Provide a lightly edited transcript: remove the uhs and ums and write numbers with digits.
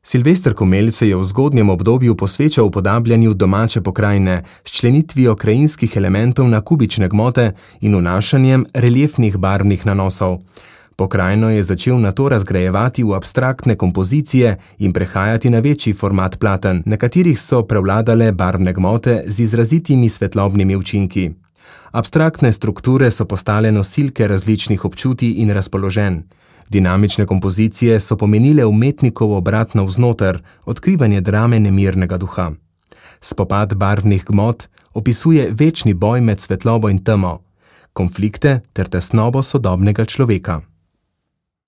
Silvester Komelj se je v zgodnjem obdobju posvečal upodabljanju domače pokrajine s členitvijo krajinskih elementov na kubične gmote in vnašanjem reliefnih barvnih nanosov. Pokrajino je začel nato razgrajevati v abstraktne kompozicije in prehajati na večji format platen, na katerih so prevladale barvne gmote z izrazitimi svetlobnimi učinki. Abstraktne strukture so postale nosilke različnih občutij in razpoloženj. Dinamične kompozicije so pomenile umetnikov obrat navznoter, odkrivanje drame nemirnega duha. Spopad barvnih gmot opisuje večni boj med svetlobo in temo, konflikte ter tesnobo sodobnega človeka.